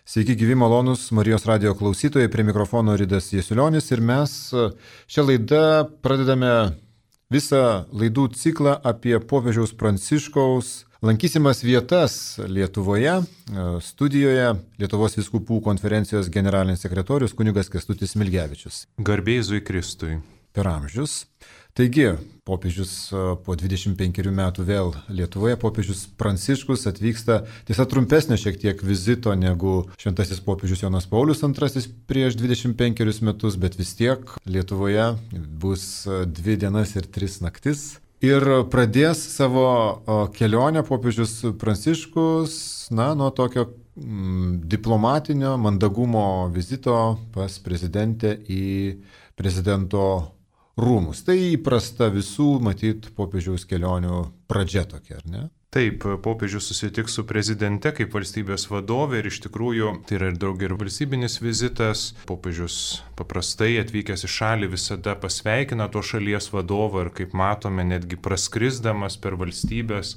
Sveiki, gyvi malonus Marijos radio klausytojai, prie mikrofono Ridas Jesulionis ir mes šią laidą pradedame visą laidų ciklą apie popiežiaus Pranciškaus lankysimas vietas Lietuvoje. Studijoje Lietuvos vyskupų konferencijos generalinis sekretorius kunigas Kęstutis Smilgevičius. Garbė Jėzui Kristui. Per amžius. Taigi, popiežius po 25 metų vėl Lietuvoje, popiežius Pranciškus atvyksta, tiesa trumpesnio šiek tiek vizito negu šventasis popiežius Jonas Paulius II prieš 25 metus, bet vis tiek Lietuvoje bus 2 dienas ir 3 naktis. Ir pradės savo kelionę popiežius Pranciškus, nuo tokio diplomatinio mandagumo vizito pas prezidentę į prezidento rūmus. Tai įprasta visų, matyt, popiežiaus kelionių pradžia tokia, ar ne? Taip, popiežius susitiks su prezidente kaip valstybės vadovė ir iš tikrųjų tai yra ir valstybinis vizitas. Popiežius paprastai atvykęs į šalį visada pasveikina to šalies vadovą ir kaip matome netgi praskrisdamas per valstybės,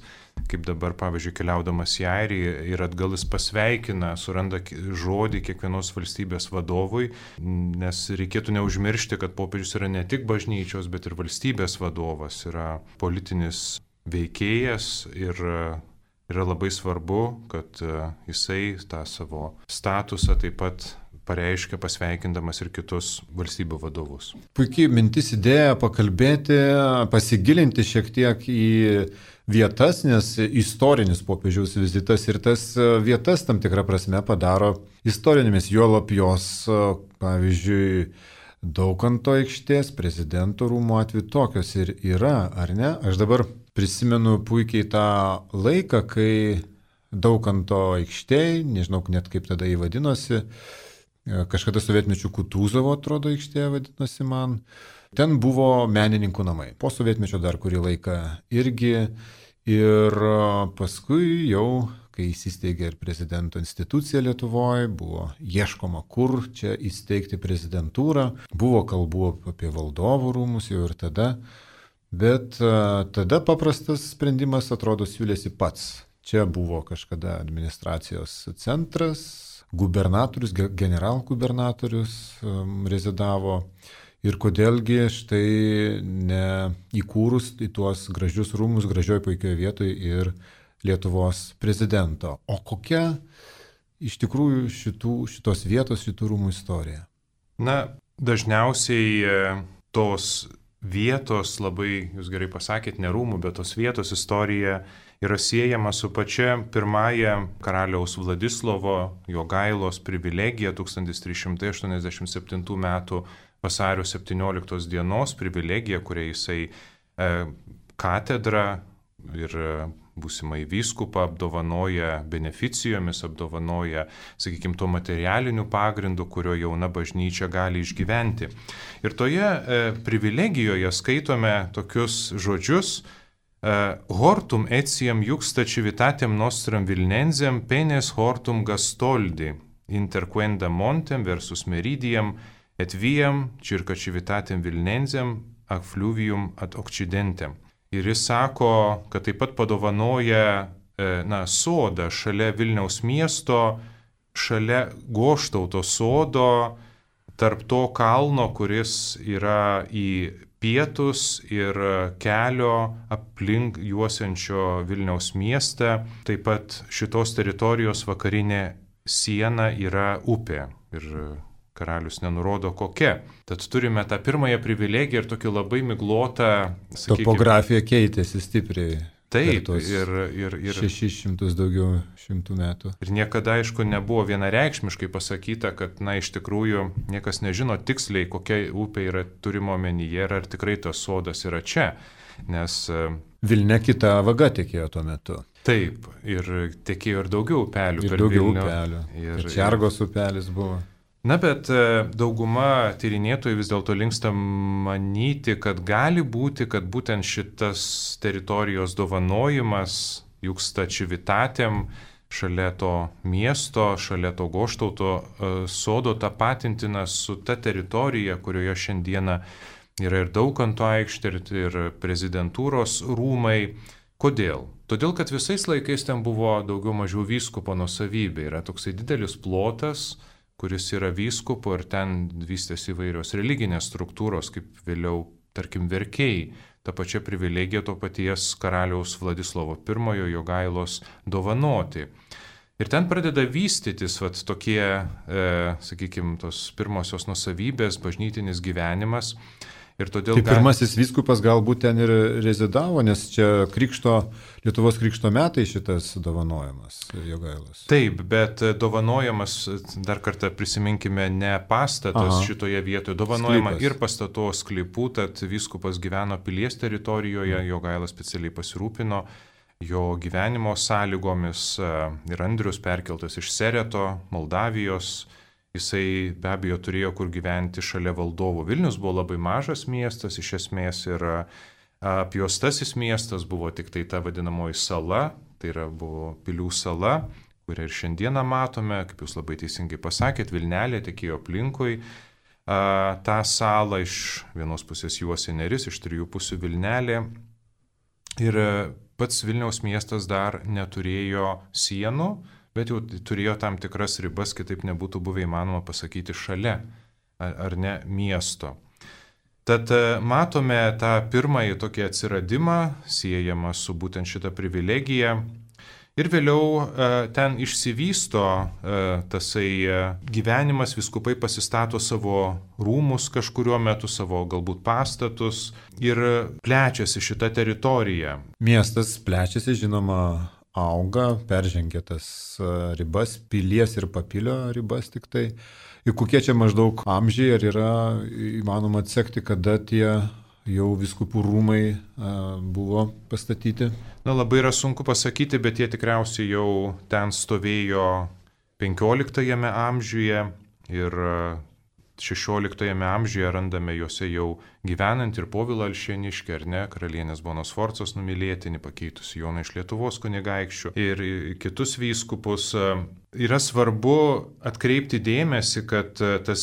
kaip dabar pavyzdžiui keliaudamas į Airiją ir atgal jis pasveikina, suranda žodį kiekvienos valstybės vadovui, nes reikėtų neužmiršti, kad popiežius yra ne tik bažnyčios, bet ir valstybės vadovas, yra politinis veikėjas ir yra labai svarbu, kad jisai tą savo statusą taip pat pareiškia pasveikindamas ir kitus valstybių vadovus. Puikiai mintis idėja pakalbėti, pasigilinti šiek tiek į vietas, nes istorinis popiežiaus vizitas ir tas vietas tam tikrą prasme padaro istorinėmis, juolab jos, pavyzdžiui, Daukanto aikštės, prezidento rūmų atveju tokios ir yra, ar ne? Aš dabar prisimenu puikiai tą laiką, kai Daukanto aikštėj, nežinau net kaip tada jį vadinosi, kažkada sovietmečių Kutūzovo, atrodo, aikštėje vadinosi man, ten buvo menininkų namai. Po sovietmečio dar kurį laiką irgi ir paskui jau, kai įsisteigė ir prezidento institucija Lietuvoje, buvo ieškoma, kur čia įsteigti prezidentūrą, buvo kalbų apie valdovų rūmus jau ir tada, bet tada paprastas sprendimas atrodo siūlėsi pats. Čia buvo kažkada administracijos centras, gubernatorius, generalgubernatorius rezidavo ir kodėlgi štai neįkūrus į tuos gražius rūmus, gražioj puikioje vietoje ir Lietuvos prezidento. O kokia iš tikrųjų šitos vietos, šitų rūmų istorija? Dažniausiai tos vietos, labai, jūs gerai pasakėt, ne rūmų, bet tos vietos istorija yra siejama su pačia pirmąja karaliaus Vladislovo Jogailos privilegija 1387 metų vasario 17 dienos privilegija, kuria jisai katedrą ir būsimai vyskupą apdovanoja beneficijomis, apdovanoja, sakykime, tuo materialiniu pagrindu, kurio jauna bažnyčia gali išgyventi. Ir toje privilegijoje skaitome tokius žodžius: hortum etiam juxta civitatem nostram Vilnensem penes hortum gastoldi, interquenda montem versus meridiam et viam circa civitatem Vilnensem ac fluvium ad occidentem. Ir jis sako, kad taip pat padovanoja sodą šalia Vilniaus miesto, šalia Goštauto sodo, tarp to kalno, kuris yra į pietus ir kelio aplink juosiančio Vilniaus miestą. Taip pat šitos teritorijos vakarinė siena yra upė ir karalius nenurodo kokia. Tad turime tą pirmąją privilegiją ir tokį labai miglotą, topografija keitėsi stipriai. Taip, ir 600 daugiau šimtų metų. Ir niekada, aišku, nebuvo vienareikšmiškai pasakyta, kad, iš tikrųjų, niekas nežino tiksliai, kokia upė yra turimo omenyje ir ar tikrai tas sodas yra čia. Nes Vilne kita vaga tekėjo tuo metu. Taip, ir tekėjo ir daugiau upelių. Ir daugiau upelių. Ir Čergos upelis buvo. Bet dauguma tyrinėtojų vis dėlto linksta manyti, kad gali būti, kad būtent šitas teritorijos dovanojimas juxta civitatem šalia to miesto, šalia to Goštauto sodo tapatintinas su ta teritorija, kurioje šiandieną yra ir Daukanto aikštė, ir prezidentūros rūmai. Kodėl? Todėl, kad visais laikais ten buvo daugiau mažiau vyskupo nuosavybė. Yra toksai didelis plotas, kuris yra vyskupo ir ten vystėsi įvairios religinės struktūros, kaip vėliau, tarkim, verkiai. Ta pačia privilegija to paties karaliaus Vladislovo I Jogailos dovanoti. Ir ten pradeda vystytis tokie, sakykime, tos pirmosios nuosavybės, bažnytinis gyvenimas. Ir todėl tai pirmasis vyskupas galbūt ten ir rezidavo, nes čia Lietuvos krikšto metai šitas dovanojimas Jogailos. Taip, bet dovanojamas, dar kartą prisiminkime, ne pastatas šitoje vietoje, dovanojama ir pastato sklypų, tad vyskupas gyveno pilies teritorijoje, Jogailas specialiai pasirūpino jo gyvenimo sąlygomis ir Andrius perkeltas iš Sereto, Moldavijos. Jisai be abejo turėjo kur gyventi šalia valdovų. Vilnius buvo labai mažas miestas, iš esmės ir apjuostasis miestas buvo tik tai ta vadinamoji sala, tai yra buvo Pilių sala, kurią ir šiandieną matome, kaip jūs labai teisingai pasakėt, Vilnelė tekėjo aplinkui. Ta sala iš vienos pusės juosė Neris, iš trijų pusių Vilnelė. Ir pats Vilniaus miestas dar neturėjo sienų, bet jau turėjo tam tikras ribas, kitaip nebūtų buvę įmanoma pasakyti šalia ar ne miesto. Tad matome tą pirmąjį tokį atsiradimą, siejamą su būtent šitą privilegiją. Ir vėliau ten išsivysto tasai gyvenimas, vyskupai pasistato savo rūmus kažkuriuo metu, savo galbūt pastatus ir plečiasi šitą teritoriją. Miestas plečiasi, žinoma, auga, peržengia tas ribas, pilies ir papilio ribas tik tai. Ir kokie čia maždaug amžiai, ar yra įmanoma atsekti, kada tie jau vyskupų rūmai buvo pastatyti? Na, labai yra sunku pasakyti, bet jie tikriausiai jau ten stovėjo 15 amžiuje ir 16 amžiuje randame juose jau gyvenant ir Povilą Alšėniškį, ar ne, karalienės Bonos Sforcos numylėtinį, pakeitusi Joną iš Lietuvos kunigaikščių ir kitus vyskupus. Yra svarbu atkreipti dėmesį, kad tas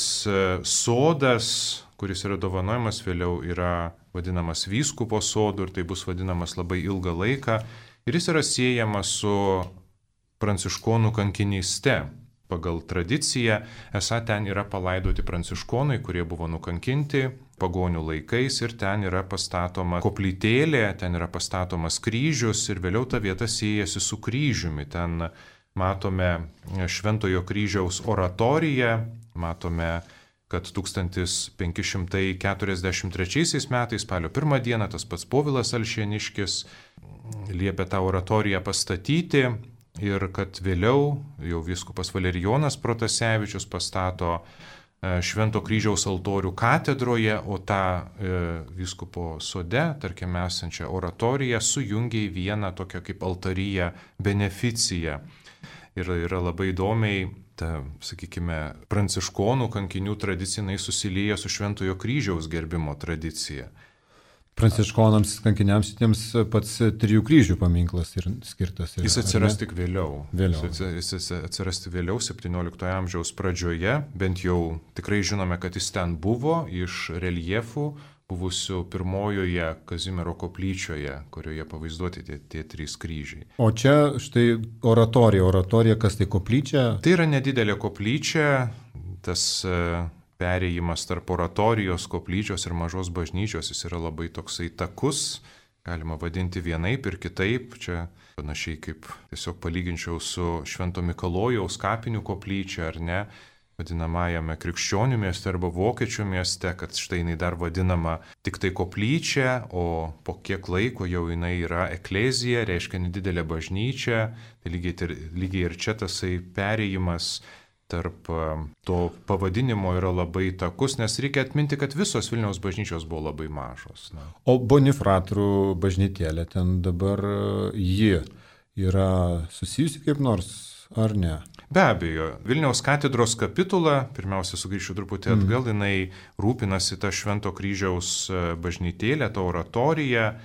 sodas, kuris yra dovanojamas vėliau, yra vadinamas vyskupo sodu ir tai bus vadinamas labai ilgą laiką ir jis yra siejamas su pranciškonų kankinyste. Pagal tradiciją, esą ten yra palaidoti pranciškonai, kurie buvo nukankinti pagonių laikais ir ten yra pastatoma koplytėlė, ten yra pastatomas kryžius ir vėliau ta vieta siejasi su kryžiumi. Ten matome Šventojo kryžiaus oratoriją, matome, kad 1543 metais, spalio 1 dieną, tas pats Povilas Alšėniškis liepė tą oratoriją pastatyti. Ir kad vėliau jau vyskupas Valerijonas Protasevičius pastato Švento kryžiaus altorių katedroje, o tą vyskupo sode, tarkime, esančią oratoriją sujungia į vieną tokią kaip altariją beneficiją. Ir yra labai įdomiai, ta, sakykime, pranciškonų kankinių tradicinai susilieja su Šventojo kryžiaus gerbimo tradicija. Pranciškonams, kankiniams šitiems pats Trijų kryžių paminklas ir skirtas. Jis atsiras tik vėliau. Jis atsiras vėliau, 17 amžiaus pradžioje, bent jau tikrai žinome, kad jis ten buvo iš reljefų buvusių pirmojoje Kazimiero koplyčioje, kurioje pavaizduoti tie trys kryžiai. O čia štai oratorija, kas tai koplyčia? Tai yra nedidelė koplyčia, tas perėjimas tarp oratorijos, koplyčios ir mažos bažnyčios, jis yra labai toksai takus, galima vadinti vienaip ir kitaip. Čia panašiai kaip tiesiog palyginčiau su Švento Mikalojaus kapinių koplyčia, ar ne, vadinamajame krikščionių mieste arba vokiečių mieste, kad štai jinai dar vadinama tik tai koplyčia, o po kiek laiko jau jinai yra eklezija, reiškia nedidelė bažnyčia. Tai lygiai ir čia tasai perėjimas tarp to pavadinimo yra labai takus, nes reikia atminti, kad visos Vilniaus bažnyčios buvo labai mažos. Na. O Bonifratrų bažnytėlė ten dabar ji yra susijusi kaip nors, ar ne? Be abejo, Vilniaus katedros kapitula, pirmiausia sugrįšiu truputį atgal, jinai rūpinasi tą Švento kryžiaus bažnytėlę, tą oratoriją,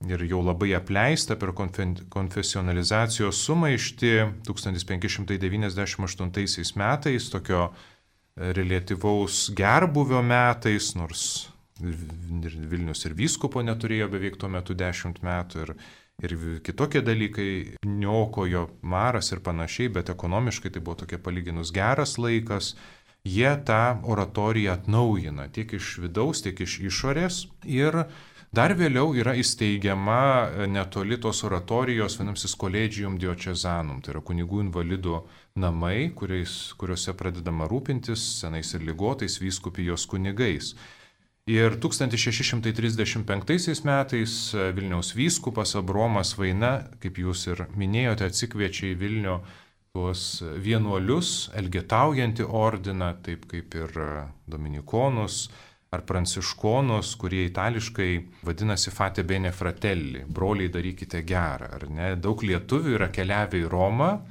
ir jau labai apleista per konfesionalizacijos sumaištį 1598 metais, tokio reliatyvaus gerbuvio metais, nors Vilnius ir vyskupo neturėjo beveik tuo metu 10 metų ir ir kitokie dalykai niokojo, maras ir panašiai, bet ekonomiškai tai buvo tokia palyginus geras laikas. Jie tą oratoriją atnaujina tiek iš vidaus, tiek iš išorės ir dar vėliau yra įsteigiama netoli tos oratorijos, vadinamasis Collegium Diocesanum, tai yra kunigų invalidų namai, kuriuose pradedama rūpintis senais ir ligotais vyskupijos kunigais. Ir 1635 metais Vilniaus vyskupas Abromas Vaina, kaip jūs ir minėjote, atsikviečia į Vilnių tuos vienuolius, elgetaujantį ordiną, taip kaip ir dominikonus ar pranciškonus, kurie itališkai vadinasi Fate Bene Fratelli, broliai darykite gerą, ar ne? Daug lietuvių yra keliavę į Romą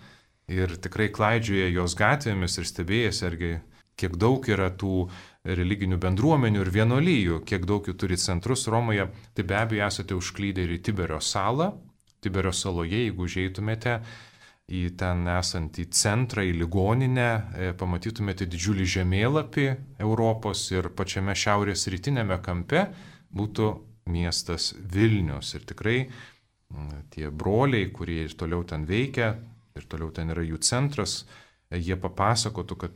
ir tikrai klaidžioja jos gatvėmis ir stebėjasi, argi kiek daug yra tų religinių bendruomenių ir vienuolijų, kiek daug jų turi centrus Romoje, tai be abejo esate užklydę ir į Tiberio salą. Tiberio saloje, jeigu užeitumėte į ten esantį centrą, į ligoninę, pamatytumėte didžiulį žemėlapį Europos ir pačiame šiaurės rytinėme kampe būtų miestas Vilnius. Ir tikrai tie broliai, kurie ir toliau ten veikia, ir toliau ten yra jų centras, jie papasakotų, kad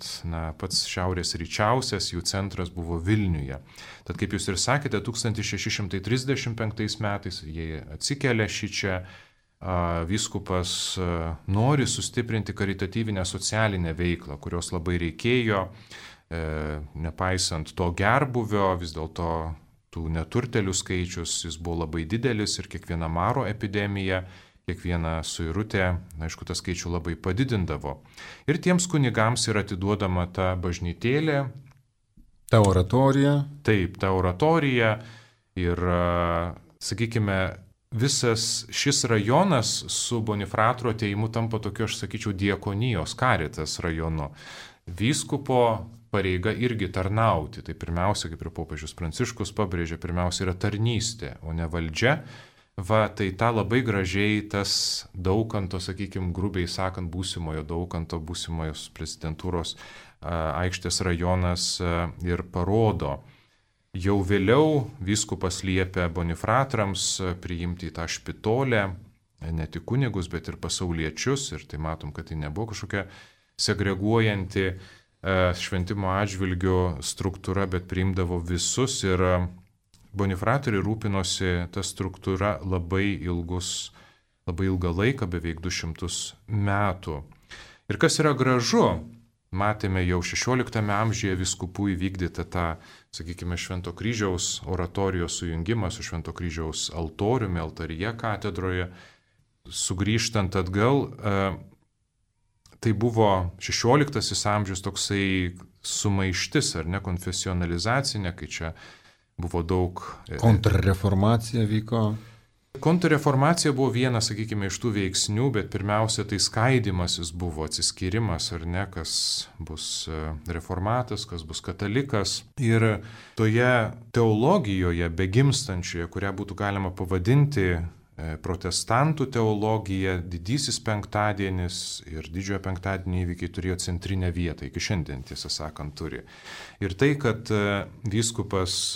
pats šiaurės ryčiausias jų centras buvo Vilniuje. Tad kaip jūs ir sakėte, 1635 metais jie atsikelia šičia. Vyskupas nori sustiprinti karitatyvinę socialinę veiklą, kurios labai reikėjo, nepaisant to gerbuvio, vis dėlto tų neturtelių skaičius jis buvo labai didelis ir kiekviena maro epidemija, kiekviena suirutė, aišku, tą skaičių labai padidindavo. Ir tiems kunigams yra atiduodama ta bažnytėlė. Ta oratorija. Taip, ta oratorija ir, sakykime, visas šis rajonas su Bonifratro atėjimu tampa tokiu, aš sakyčiau, diakonijos karitas rajonu. Vyskupo pareiga irgi tarnauti. Tai pirmiausia, kaip ir popiežius Pranciškus pabrėžia, pirmiausia yra tarnystė, o ne valdžia. Tai tą labai gražiai tas Daukanto, sakykime, grubiai sakant, būsimojo Daukanto, būsimojos prezidentūros aikštės rajonas ir parodo. Jau vėliau vyskupas liepia Bonifratrams priimti į tą špitolę ne tik kunigus, bet ir pasauliečius. Ir tai matom, kad tai nebuvo kažkokia segreguojanti šventimo atžvilgių struktūra, bet priimdavo visus. Ir Bonifratoriai rūpinosi tą struktūrą labai ilgą laiką, beveik 200 metų. Ir kas yra gražu, matėme jau 16 amžiuje vyskupų įvykdytą tą, sakykime, Švento kryžiaus oratorijos sujungimą su Švento kryžiaus altoriumi, altaryje katedroje. Sugrįžtant atgal, tai buvo 16 amžius toksai sumaištis, ar ne, konfesionalizacinė, kai čia buvo daug... Kontrreformacija vyko. Kontrreformacija buvo vienas, sakykime, iš tų veiksnių, bet pirmiausia tai skaidimasis buvo, atsiskyrimas, ar ne, kas bus reformatas, kas bus katalikas. Ir toje teologijoje begimstančioje, kurią būtų galima pavadinti protestantų teologija, didysis penktadienis ir didžiojo penktadienio įvykiai turėjo centrinę vietą, iki šiandien, tiesą sakant, turi. Ir tai, kad vyskupas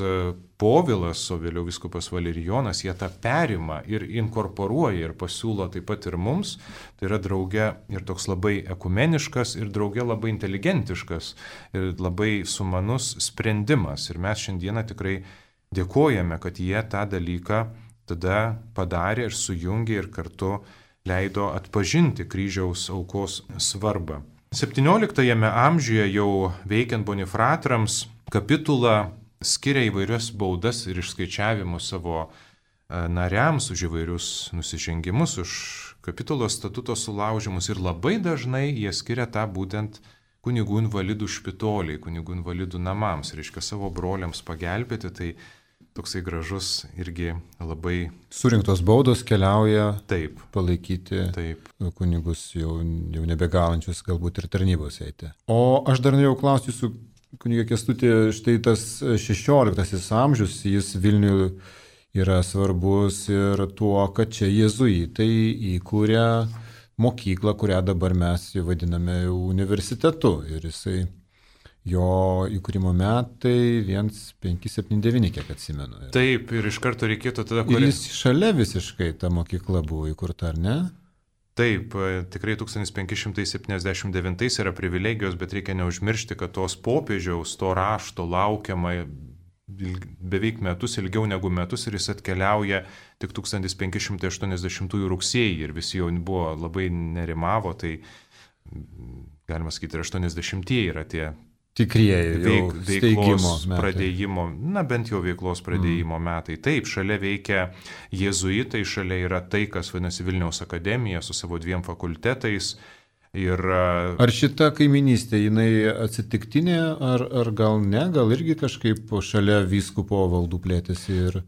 Povilas, o vėliau vyskupas Valerijonas, jie tą perima ir inkorporuoja ir pasiūlo taip pat ir mums, tai yra drauge ir toks labai ekumeniškas ir drauge labai inteligentiškas ir labai sumanus sprendimas. Ir mes šiandieną tikrai dėkojame, kad jie tą dalyką tada padarė ir sujungė ir kartu leido atpažinti kryžiaus aukos svarbą. 17 amžiuje jau veikiant Bonifratrams kapitula skiria įvairias baudas ir išskaičiavimus savo nariams už įvairius nusižengimus, už kapitulos statuto sulaužimus ir labai dažnai jie skiria tą būtent kunigų invalidų špitoliai, kunigų invalidų namams, reiškia savo broliams pagelbėti, tai toksai gražus irgi labai... Surinktos baudos keliauja taip palaikyti taip kunigus jau nebegalančius galbūt ir tarnybos eiti. O aš dar norėjau klausti jūsų, kunigė Kęstuti, štai tas 16 amžius, jis Vilniui yra svarbus ir tuo, kad čia jėzuitai įkūrė mokyklą, kurią dabar mes vadiname universitetu. Ir Jo įkūrimo metai 1579, kiek atsimenu. Taip, ir iš karto reikėtų tada... Ir jis šalia visiškai ta mokykla buvo įkurta, ar ne? Taip, tikrai 1579 yra privilegijos, bet reikia neužmiršti, kad tos popiežiaus, to rašto laukiama beveik metus, ilgiau negu metus, ir jis atkeliauja tik 1580 rugsėjį ir visi jau buvo labai nerimavo, tai galima sakyti, ir 80-ieji yra tie tikrieji veiklos pradėjimo, bent jau veiklos pradėjimo metai. Taip, šalia veikia jėzuitai, šalia yra tai, kas vadinasi Vilniaus akademija su savo 2 fakultetais. Ir... Ar šita kaiminystė, jinai atsitiktinė, ar gal ne, gal irgi kažkaip šalia vyskupo valdų plėtėsi ir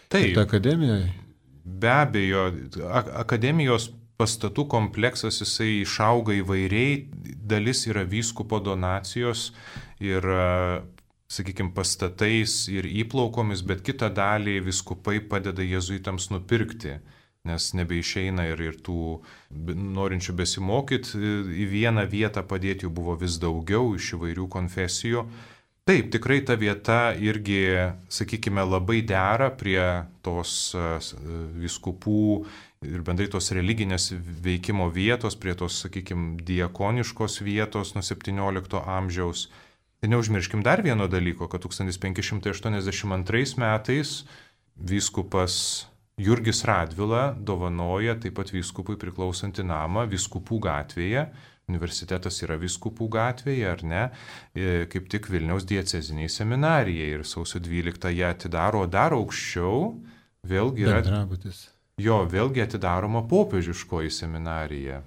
ta akademija? Be abejo, akademijos pastatų kompleksas jisai išauga įvairiai, dalis yra vyskupo donacijos ir, sakykime, pastatais ir įplaukomis, bet kitą dalį vyskupai padeda jėzuitams nupirkti, nes nebeišeina ir tų norinčių besimokyti į vieną vietą padėti jų buvo vis daugiau iš įvairių konfesijų. Taip, tikrai ta vieta irgi, sakykime, labai dera prie tos vyskupų ir bendrai tos religinės veikimo vietos, prie tos, sakykime, diakoniškos vietos nuo 17 amžiaus. Ir neužmirškim dar vieno dalyko, kad 1582 metais vyskupas Jurgis Radvila dovanoja taip pat vyskupui priklausantį namą Vyskupų gatvėje. Universitetas yra Vyskupų gatvėje, ar ne, kaip tik Vilniaus dieceziniai seminarijai. Ir sausio 12 ją atidaro, o dar aukščiau vėlgi yra... vėlgi atidaroma popiežiškoji seminarija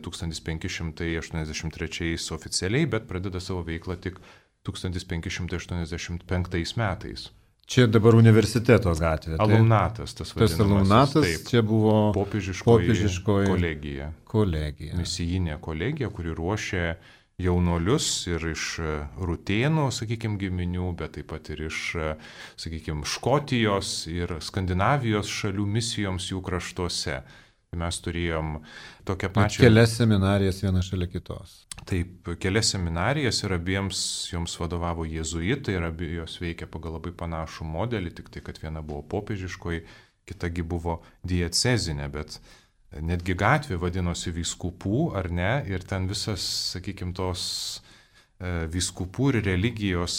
1583 oficialiai, bet pradeda savo veiklą tik 1585 metais. Čia dabar universiteto gatvė. Alumnatas, tas vadinamas. Tas alumnatas, taip, čia buvo popiežiškoji kolegija. Misijinė kolegija, kuri ruošė jaunuolius ir iš Rutėnų, sakykime, giminių, bet taip pat ir iš, sakykime, Škotijos ir Skandinavijos šalių misijoms jų kraštuose. Mes turėjom tokią pačią... Kelias seminarijas viena šalia kitos. Taip, kelias seminarijas ir abiems joms vadovavo jėzuitai ir abi jos veikia pagal labai panašų modelį, tik tai, kad viena buvo popiežiškoji, kitagi buvo diecezinė, bet netgi gatvė vadinosi Vyskupų, ar ne, ir ten visas, sakykime, tos vyskupų ir religijos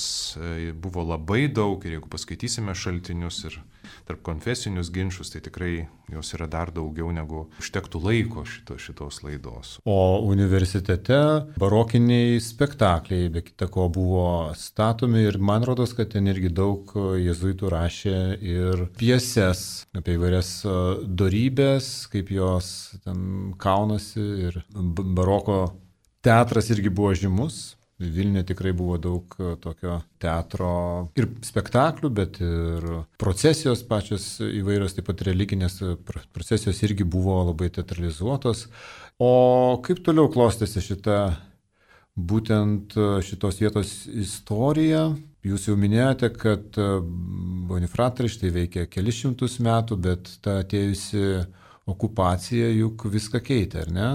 buvo labai daug ir jeigu paskaitysime šaltinius ir tarp konfesinius ginčius, tai tikrai jos yra dar daugiau negu užtektų laiko šitos laidos. O universitete barokiniai spektakliai be kita ko buvo statomi ir man rodos, kad ten irgi daug jėzuitų rašė ir pjeses apie įvairias dorybės, kaip jos ten kaunasi ir baroko teatras irgi buvo žymus. Vilniuje tikrai buvo daug tokio teatro ir spektaklių, bet ir procesijos pačios įvairios, taip pat religinės procesijos irgi buvo labai teatralizuotos. O kaip toliau klostėsi būtent šitos vietos istorija? Jūs jau minėjote, kad Bonifratrai štai veikia kelis šimtus metų, bet ta atėjusi okupacija juk viską keitė, ar ne?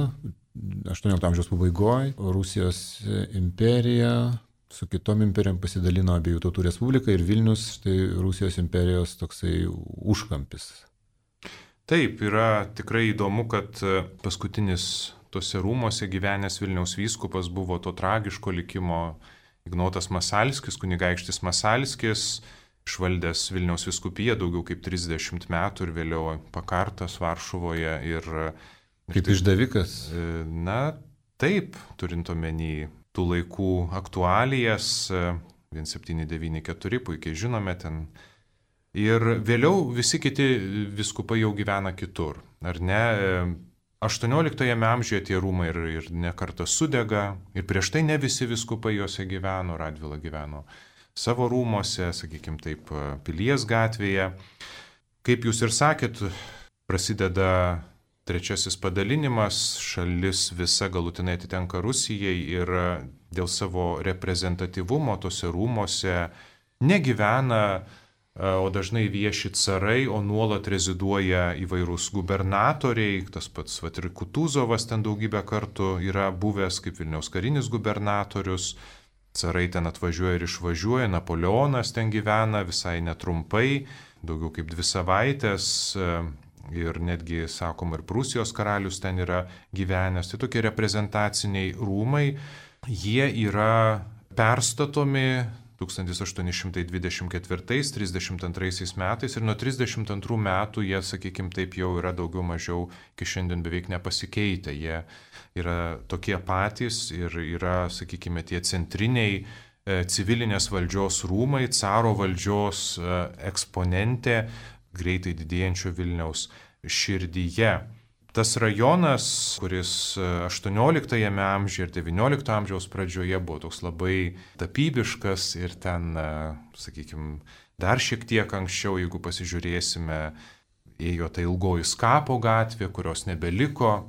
18 amžiaus pabaigoje Rusijos imperija su kitom imperijom pasidalino Abiejų tautų respublika ir Vilnius, štai Rusijos imperijos toksai užkampis. Taip, yra tikrai įdomu, kad paskutinis tose rūmose gyvenęs Vilniaus vyskupas buvo to tragiško likimo Ignotas Masalskis, kunigaikštis Masalskis, išvaldęs Vilniaus vyskupiją daugiau kaip 30 metų ir vėliau pakartas Varšuvoje ir kaip išdavikas? Na, taip, turint omeny tų laikų aktualijas, 1794, puikiai žinome ten. Ir vėliau visi kiti vyskupai jau gyvena kitur, ar ne? 18 amžiuje tie rūmai ir ne kartą sudega, ir prieš tai ne visi vyskupai juose gyveno, Radvila gyveno savo rūmose, sakykime taip, Pilies gatvėje. Kaip jūs ir sakėt, prasideda trečiasis padalinimas, šalis visa galutinai atitenka Rusijai ir dėl savo reprezentatyvumo tose rūmose negyvena, o dažnai vieši carai, o nuolat reziduoja įvairūs gubernatoriai, tas pats ir Kutuzovas ten daugybę kartų yra buvęs kaip Vilniaus karinis gubernatorius, carai ten atvažiuoja ir išvažiuoja, Napoleonas ten gyvena visai netrumpai, daugiau kaip 2 savaitės ir netgi, sakoma, ir Prūsijos karalius ten yra gyvenęs. Tai tokie reprezentaciniai rūmai, jie yra perstatomi 1824-32 metais ir nuo 32 metų jie, sakykime, taip jau yra daugiau mažiau iki šiandien beveik nepasikeitę. Jie yra tokie patys ir yra, sakykime, tie centriniai civilinės valdžios rūmai, caro valdžios eksponentė greitai didėjančio Vilniaus širdyje. Tas rajonas, kuris 18 amžiuje ir 19 amžiaus pradžioje buvo toks labai tapybiškas ir ten, sakykime, dar šiek tiek anksčiau, jeigu pasižiūrėsime, ėjo ta ilgoji Skapo gatvė, kurios nebeliko.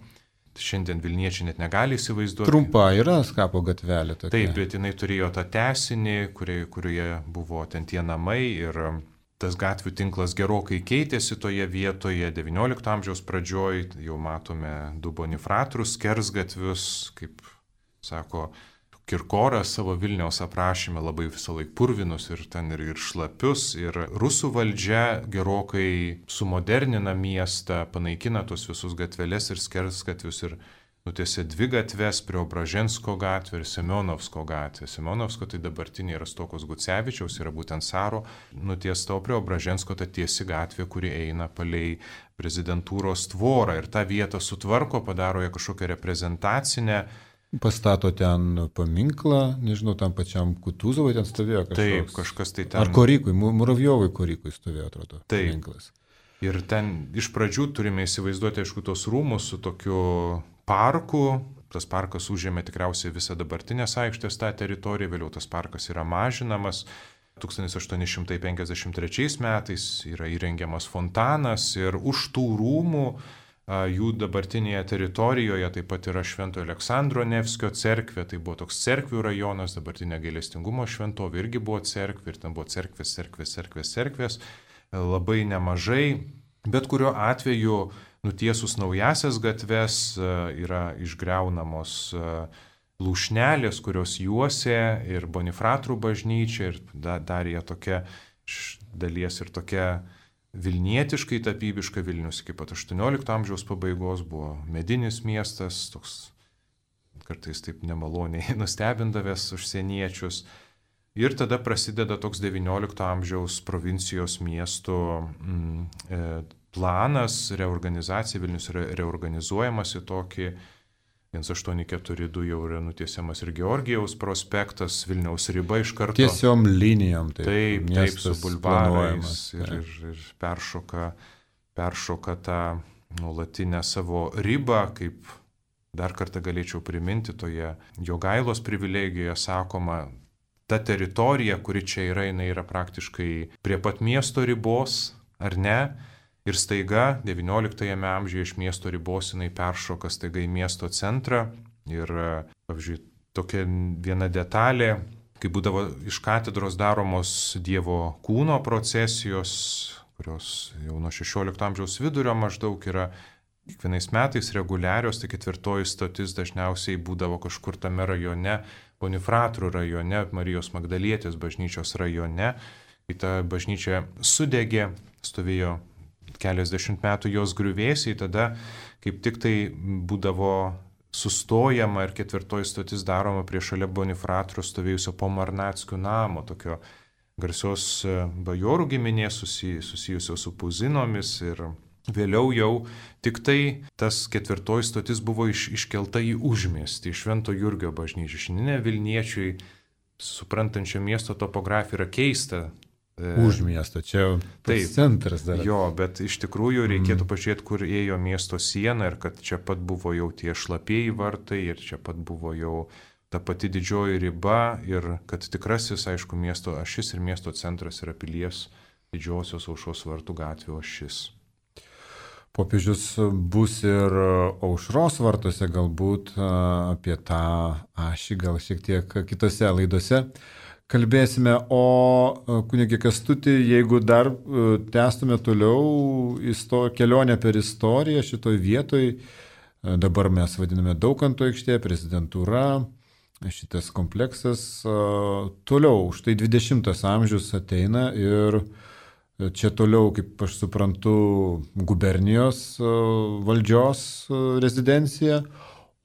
Šiandien Vilniečiai net negali įsivaizduoti. Trumpa yra Skapo gatvelė tokia. Taip, bet jinai turėjo tą tęsinį, kurioje buvo ten tie namai ir tas gatvių tinklas gerokai keitėsi toje vietoje. 19 amžiaus pradžioj jau matome 2 Bonifratrus skersgatvius, kaip sako Kirkoras savo Vilniaus aprašyme, labai visą laiką purvinus ir ten ir šlapius. Ir rusų valdžia gerokai sumodernina miestą, panaikina tos visus gatveles ir skersgatvius ir nutiesė 2 gatves, Preobražensko gatvę ir Semionovsko gatvę. Semionovsko tai dabartinė Rastokos Gucevičiaus, yra būtent Saro nutiesta, o Preobražensko ta tiesi gatvė, kuri eina palei prezidentūros tvorą ir tą vietą sutvarko, padaro ją kažkokią reprezentacinę. Pastato ten paminklą, nežinau, tam pačiam Kutuzovui ten stovėjo kažkas. Taip, kažkas tai ten. Ar Korykui, Muravjovui Korykui stovėjo, atrodo, paminklas. Ir ten iš pradžių turime įsivaizduoti, aišku, tos rūmus su tokiu parku. Tas parkas užėmė tikriausiai visą dabartinės aikštės tą teritoriją, vėliau tas parkas yra mažinamas. 1853 metais yra įrengiamas fontanas ir už tų rūmų jų dabartinėje teritorijoje taip pat yra Švento Aleksandro Nevskio cerkvė, tai buvo toks cerkvių rajonas, dabartinė gailestingumo šventovė irgi buvo cerkvė ir ten buvo cerkvės, labai nemažai, bet kuriuo atveju nutiesus naujasias gatves yra išgriaunamos lūšnelės, kurios juosė ir Bonifratrų bažnyčia ir dar jie tokia iš dalies ir tokia vilnietiškai tapybiška. Vilnius iki pat 18 amžiaus pabaigos buvo medinis miestas, toks kartais taip nemaloniai nustebindavęs užsieniečius. Ir tada prasideda toks 19 amžiaus provincijos miestų planas, reorganizacija. Vilnius reorganizuojamas į tokį 1842 jau yra nutiesiamas ir Georgijaus prospektas, Vilniaus riba iš karto. Tiesiom linijom. Taip, su bulvarais ir peršoka tą nuolatinę savo ribą, kaip dar kartą galėčiau priminti toje Jogailos privilegijoje sakoma, ta teritorija, kuri čia yra, jinai yra praktiškai prie pat miesto ribos, ar ne? Ir staiga 19 amžiuje iš miesto ribos jinai peršoka staiga į miesto centrą. Ir, pavyzdžiui, tokia viena detalė, kai būdavo iš katedros daromos Dievo kūno procesijos, kurios jau nuo 16 amžiaus vidurio maždaug yra kiekvienais metais reguliarios, tai 4 stotis dažniausiai būdavo kažkur tame rajone, Bonifratrų rajone, Marijos Magdalietės bažnyčios rajone. Kai ta bažnyčia sudegė, stovėjo keliasdešimt metų jos griuvėsiai, tada kaip tik tai būdavo sustojama ir 4 stotis daroma prie šalia Bonifratrų stovėjusio Pomarnackių namo, tokio garsios bajorų giminės susijusios su Puzinomis. Ir vėliau jau tik tai tas 4 stotis buvo iškelta į užmiestį, į Švento Jurgio bažnyčią. Šiandien Vilniečiui, suprantančio miesto topografiją, yra keista. Už miesto, čia pats centras dar. Jo, bet iš tikrųjų reikėtų pažiūrėti, kur ėjo miesto siena ir kad čia pat buvo jau tie šlapieji vartai ir čia pat buvo jau ta pati didžioji riba ir kad tikrasis, aišku, miesto ašis ir miesto centras yra Pilies didžiosios Aušros vartų gatvė ašis. Popiežius bus ir Aušros vartuose, galbūt apie tą ašį gal šiek tiek kitose laidose kalbėsime. O kunigė Kęstuti, jeigu dar tęstume toliau kelionę per istoriją šitoj vietoj, dabar mes vadiname Daukanto aikštė, prezidentūra, šitas kompleksas. Toliau, štai 20 amžius ateina ir čia toliau, kaip aš suprantu, gubernijos valdžios rezidencija,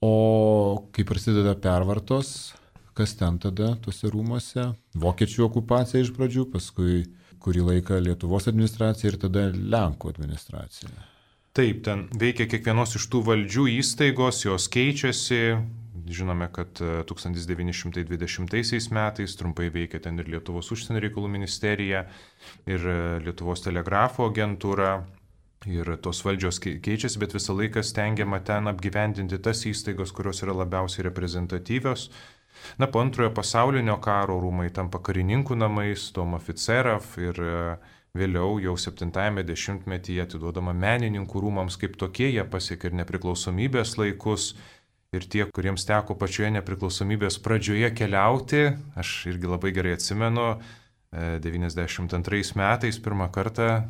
o kai prasideda pervartos, kas ten tada tuose rūmuose? Vokiečių okupacija iš pradžių, paskui kurį laiką Lietuvos administracija ir tada Lenkų administracija. Taip, ten veikia kiekvienos iš tų valdžių įstaigos, jos keičiasi. Žinome, kad 1920 metais trumpai veikia ten ir Lietuvos užsienio reikalų ministerija, ir Lietuvos telegrafo agentūra, ir tos valdžios keičiasi, bet visą laiką stengiama ten apgyvendinti tas įstaigos, kurios yra labiausiai reprezentatyvios. Na, po antrojo pasaulinio karo rūmai tampa karininkų namais, Dom oficerov, ir vėliau jau 70-ame dešimtmetyje atiduodama menininkų rūmams kaip tokie, jie pasiekė ir nepriklausomybės laikus. Ir tie, kuriems teko pačioje nepriklausomybės pradžioje keliauti, aš irgi labai gerai atsimenu, 92 metais pirmą kartą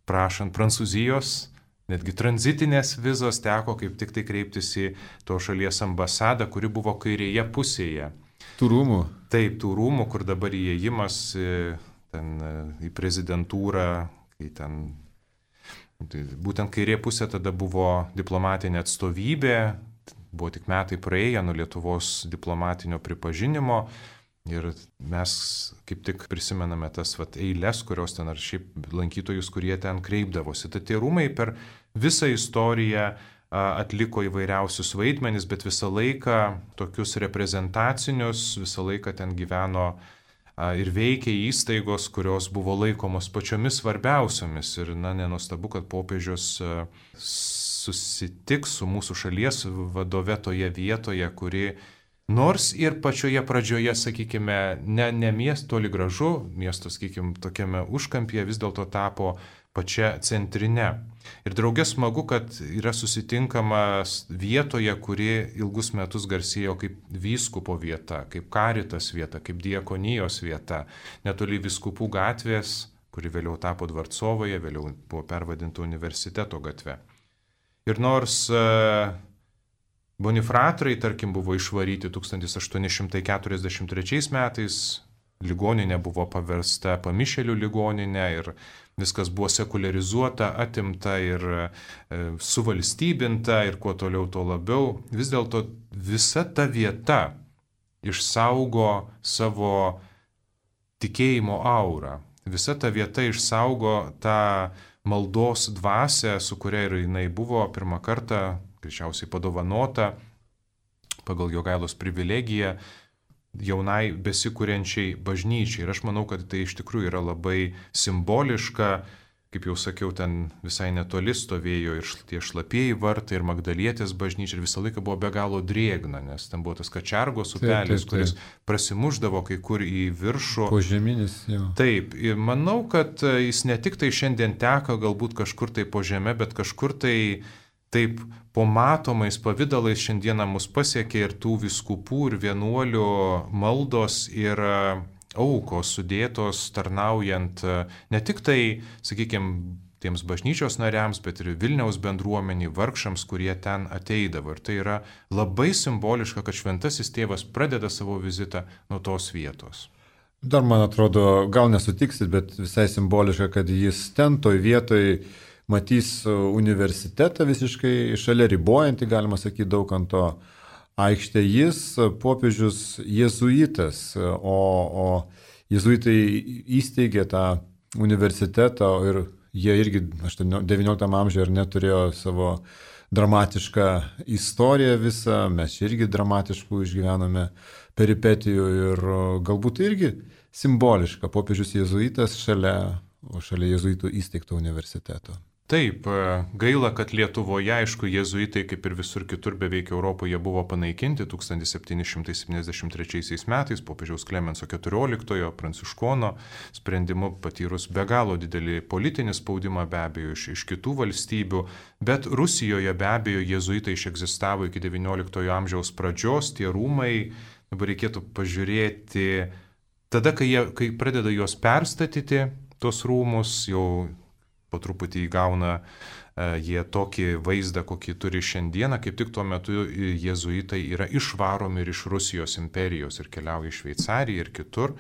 prašant Prancūzijos, netgi tranzitinės vizos teko kaip tik tai kreiptis į to šalies ambasadą, kuri buvo kairėje pusėje. Tų rūmų? Taip, tų rūmų, kur dabar įėjimas ten, į prezidentūrą, kai ten būtent kairė pusė tada buvo diplomatinė atstovybė. Buvo tik metai praėję nuo Lietuvos diplomatinio pripažinimo ir mes kaip tik prisimename tas eilės, kurios ten ar šiaip lankytojus, kurie ten kreipdavosi. Tad tie rūmai per visą istoriją atliko įvairiausius vaidmenis, bet visą laiką tokius reprezentacinius, visą laiką ten gyveno ir veikė įstaigos, kurios buvo laikomos pačiomis svarbiausiomis. Ir nenuostabu, kad popiežius susitiks su mūsų šalies vadove toje vietoje, kuri nors ir pačioje pradžioje, sakykime, ne miesto toli gražu, miesto, sakykime, tokiame užkampyje vis dėlto tapo pačia centrine. Ir draugė smagu, kad yra susitinkamas vietoje, kuri ilgus metus garsėjo kaip vyskupo vieta, kaip karitas vieta, kaip diakonijos vieta, netoli vyskupų gatvės, kuri vėliau tapo Dvarcovoje, vėliau buvo pervadinta universiteto gatve. Ir nors Bonifratrai, tarkim, buvo išvaryti 1843 metais, ligoninė buvo paversta pamišėlių ligoninė ir viskas buvo sekularizuota, atimta ir suvalstybinta ir kuo toliau, tuo labiau, vis dėlto visa ta vieta išsaugo savo tikėjimo aurą. Visa ta vieta išsaugo tą maldos dvasią, su kuria ir jinai buvo pirmą kartą, greičiausiai padovanota pagal Jogailos privilegiją jaunai besikuriančiai bažnyčiai. Ir aš manau, kad tai iš tikrųjų yra labai simboliška. Kaip jau sakiau, ten visai netoli stovėjo ir tie šlapieji vartai, ir Magdalietės bažnyčia, ir visą laiką buvo be galo drėgna, nes ten buvo tas Kačergos upelis, kuris prasimuždavo kai kur į viršų. Požeminis, jau. Taip, ir manau, kad jis ne tik tai šiandien teka galbūt kažkur tai po žeme, bet kažkur tai taip po matomais pavydalais šiandieną mus pasiekė ir tų vyskupų ir vienuolių maldos ir aukos sudėtos tarnaujant ne tik tai, sakykime, tiems bažnyčios nariams, bet ir Vilniaus bendruomenį, vargšams, kurie ten ateidavo. Ir tai yra labai simboliška, kad šventasis tėvas pradeda savo vizitą nuo tos vietos. Dar man atrodo, gal nesutiksit, bet visai simboliška, kad jis ten toj vietoj matys universitetą visiškai šalia ribojantį, galima sakyti, Daukanto aikštė. Jis popiežius jėzuitas, o jėzuitai įsteigė tą universitetą ir jie irgi 19 amžiuje ir neturėjo savo dramatišką istoriją visą, mes irgi dramatiškų išgyvename peripetijų ir galbūt irgi simboliška popiežius jėzuitas šalia jėzuitų įsteigto universiteto. Taip, gaila, kad Lietuvoje, aišku, jėzuitai kaip ir visur kitur beveik Europoje buvo panaikinti 1773 metais popiežiaus Klemenso XIV pranciškono sprendimu, patyrus be galo didelį politinį spaudimą be abejo iš kitų valstybių, bet Rusijoje be abejo jėzuitai išegzistavo iki XIX amžiaus pradžios, tie rūmai, dabar reikėtų pažiūrėti, tada, kai pradeda juos perstatyti, tos rūmus jau po truputį įgauna jie tokį vaizdą, kokį turi šiandieną, kaip tik tuo metu jėzuitai yra išvaromi ir iš Rusijos imperijos ir keliauja į Šveicariją ir kitur.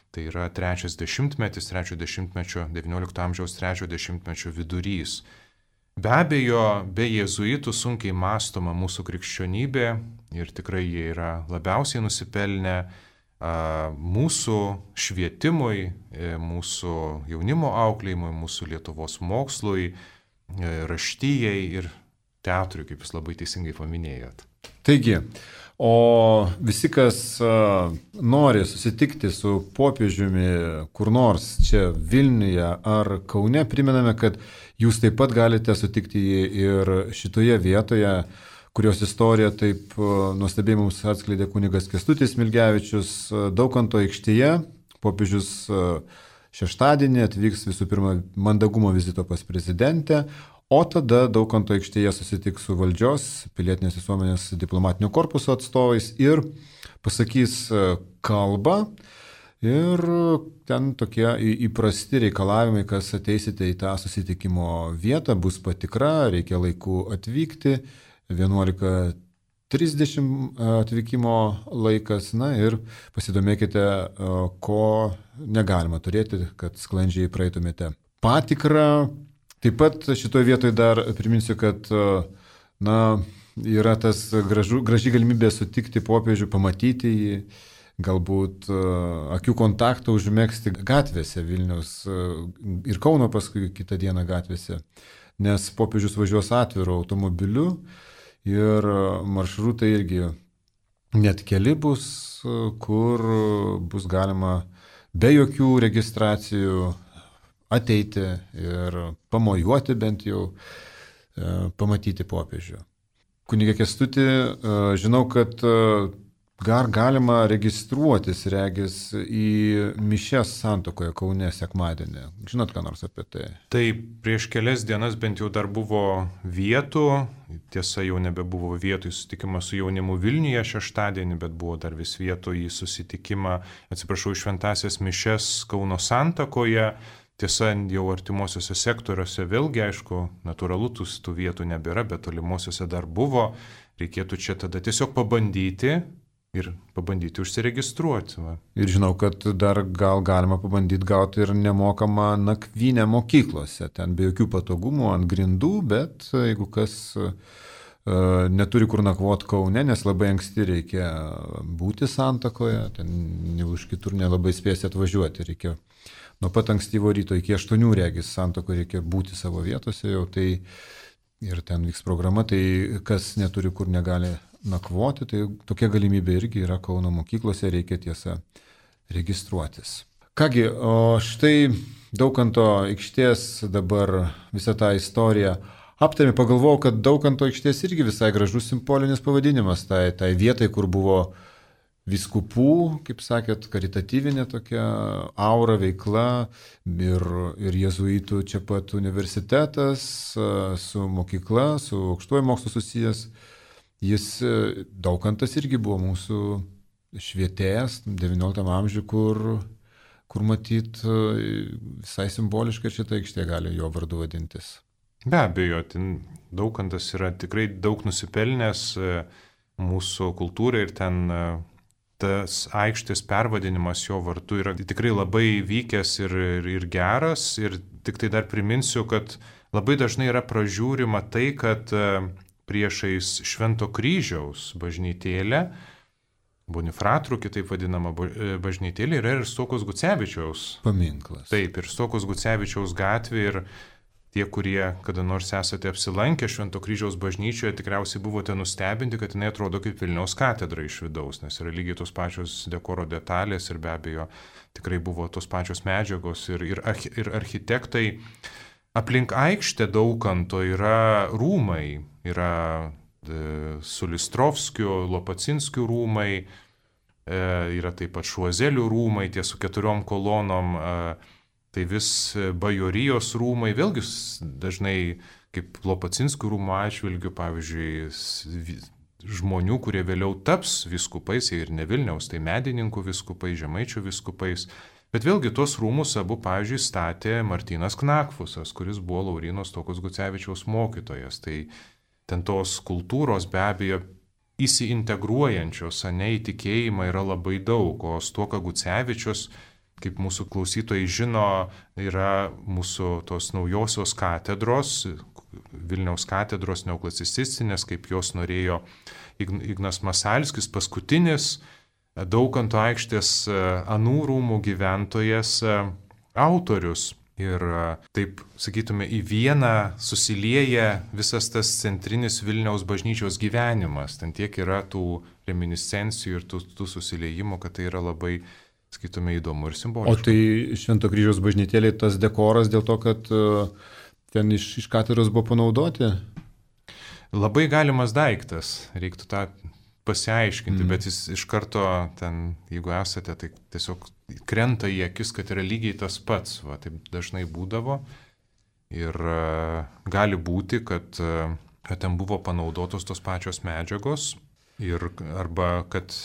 Tai yra trečias dešimtmetis, trečio dešimtmečio, XIX amžiaus trečio dešimtmečio vidurys. Be abejo, be jėzuitų sunkiai mąstoma mūsų krikščionybė ir tikrai jie yra labiausiai nusipelnę mūsų švietimui, mūsų jaunimo auklėjimui, mūsų Lietuvos mokslui, raštyjei ir teatrui, kaip jūs labai teisingai paminėjot. Taigi, o visi, kas nori susitikti su popiežiumi kur nors čia Vilniuje ar Kaune, primename, kad jūs taip pat galite sutikti jį ir šitoje vietoje, kurios istoriją taip nuostabiai mums atskleidė kunigas Kęstutis Smilgevičius. Daukanto aikštėje popiežius šeštadienį atvyks visų pirma mandagumo vizito pas prezidentę, o tada Daukanto aikštėje susitiks su valdžios, pilietinės visuomenės diplomatinio korpuso atstovais ir pasakys kalbą. Ir ten tokie įprasti reikalavimai, kas ateisite į tą susitikimo vietą, bus patikra, reikia laiku atvykti, 11:30 atvykimo laikas, na ir pasidomėkite, ko negalima turėti, kad sklandžiai praeitumėte patikrą. Taip pat šitoje vietoje dar priminsiu, kad yra tas graži galimybė sutikti popiežių, pamatyti jį, galbūt akių kontaktą užmegzti gatvėse Vilniaus ir Kauno paskui kitą dieną gatvėse, nes popiežius važiuos atviru automobiliu ir maršrutai irgi net keli bus, kur bus galima be jokių registracijų ateiti ir pamojuoti bent jau, pamatyti popiežių. Kunige Kęstuti, žinau, kad galima registruotis, regis, į mišias Santuokoje Kaune sekmadienį. Žinot, ką nors apie tai? Tai prieš kelias dienas bent jau dar buvo vietų, tiesa jau nebebuvo vietų į susitikimą su jaunimu Vilniuje šeštadienį, bet buvo dar vis vietų į susitikimą, atsiprašau, šventasias mišias Kauno Santuokoje. Tiesa, jau artimuosiuose sektoriuose vėlgi, aišku, natūralu tų vietų nebėra, bet tolimuosiuose dar buvo. Reikėtų čia tada tiesiog pabandyti užsiregistruoti. Va. Ir žinau, kad dar galima pabandyti gauti ir nemokamą nakvynę mokyklose. Ten be jokių patogumų ant grindų, bet jeigu kas neturi kur nakvoti Kaune, nes labai anksti reikia būti Santuokoje, ten už kitur nelabai spėsi atvažiuoti. Reikia nuo pat ankstyvo ryto iki 8 regis Santuokoje reikia būti savo vietose jau, tai ir ten vyks programa, tai kas neturi kur negali nakvoti, tai tokia galimybė irgi yra Kauno mokyklose, reikia tiesa registruotis. Kągi, o štai Daukanto aikštės dabar visą tą istoriją aptarėme, pagalvojau, kad Daukanto aikštės irgi visai gražus simbolinis pavadinimas, tai vietai, kur buvo vyskupų, kaip sakėt, karitatyvinė tokia aura veikla ir jėzuitų čia pat universitetas su mokykla, su aukštuoju mokslu susijęs. Jis, Daukantas irgi buvo mūsų švietėjas XIX amžiuje, kur matyt visai simboliškai šitą aikštę gali jo vardu vadintis. Be abejo, Daukantas yra tikrai daug nusipelnęs mūsų kultūrai ir ten tas aikštės pervadinimas jo vardu yra tikrai labai vykęs ir geras. Ir tik tai dar priminsiu, kad labai dažnai yra pražiūrima tai, kad priešais Švento kryžiaus bažnytėlę, Bonifratrų, kitaip vadinama bažnytėlė, yra ir Stuokos Gucevičiaus paminklas. Taip, ir Stuokos Gucevičiaus gatvė, ir tie, kurie kada nors esate apsilankę Švento kryžiaus bažnyčioje, tikriausiai buvote nustebinti, kad jinai atrodo kaip Vilniaus katedra iš vidaus, nes yra lygiai tos pačios dekoro detalės ir be abejo tikrai buvo tos pačios medžiagos ir architektai. Aplink aikštę Daukanto yra rūmai, yra Sulistrovskių, Lopacinskių rūmai, yra taip pat Šuozelių rūmai, tie su 4 kolonom, tai vis bajorijos rūmai, vėlgi dažnai kaip Lopacinskių rūmų atžvilgių, pavyzdžiui, žmonių, kurie vėliau taps vyskupais, ir ne Vilniaus, tai medininkų vyskupais, žemaičių vyskupais. Bet vėlgi tuos rūmus abu, pavyzdžiui, statė Martynas Knakfusas, kuris buvo Lauryno Stuokos Gucevičiaus mokytojas. Tai ten tos kultūros be abejo įsiintegruojančios, ne į tikėjimą yra labai daug, o Stuoka Gucevičius, kaip mūsų klausytojai žino, yra mūsų tos naujosios katedros, Vilniaus katedros neoklasicistinės, kaip jos norėjo Ignas Masalskis, paskutinis Daukanto aikštės anų rūmų gyventojas autorius. Ir taip, sakytume, į vieną susilieja visas tas centrinis Vilniaus bažnyčios gyvenimas. Ten tiek yra tų reminiscencijų ir tų susiliejimų, kad tai yra labai, sakytume, įdomu ir simboliška. O tai Švento kryžiaus bažnytėlė tas dekoras dėl to, kad ten iš katedros buvo panaudoti? Labai galimas daiktas, reiktų tą pasiaiškinti, bet jis iš karto ten, jeigu esate, tai tiesiog krenta į akis, kad yra lygiai tas pats, va, taip dažnai būdavo ir gali būti, kad ten buvo panaudotos tos pačios medžiagos ir arba kad,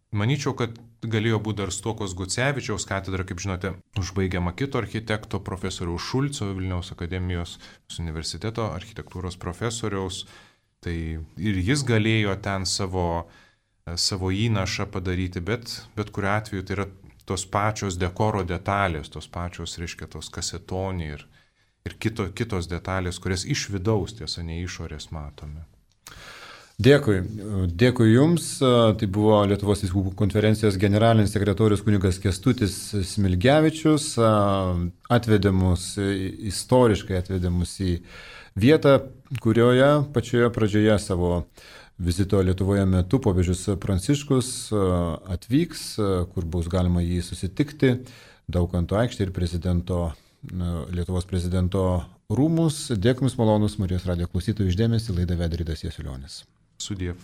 manyčiau, kad galėjo būti dar Stuokos Gucevičiaus katedra, kaip žinote, užbaigiama kito architekto profesoriaus Šulco, Vilniaus akademijos universiteto architektūros profesoriaus. Tai ir jis galėjo ten savo įnašą padaryti, bet kuriuo atveju tai yra tos pačios dekoro detalės, tos pačios, reiškia, tos kasetoniai ir kitos detalės, kurias iš vidaus, tiesa, ne išorės matome. Dėkui Jums. Tai buvo Lietuvos vyskupų konferencijos generalinis sekretorius kunigas Kęstutis Smilgevičius. Istoriškai atvedė mus į vietą, kurioje pačioje pradžioje savo vizito Lietuvoje metu popiežius Pranciškus atvyks, kur bus galima jį susitikti, Daukanto aikštė ir Lietuvos prezidento rūmus. Dėkui Jums malonus Marijos radijo klausytojų išdėmesį, laidą vedė Ridas Jasiulionis. Sudiev.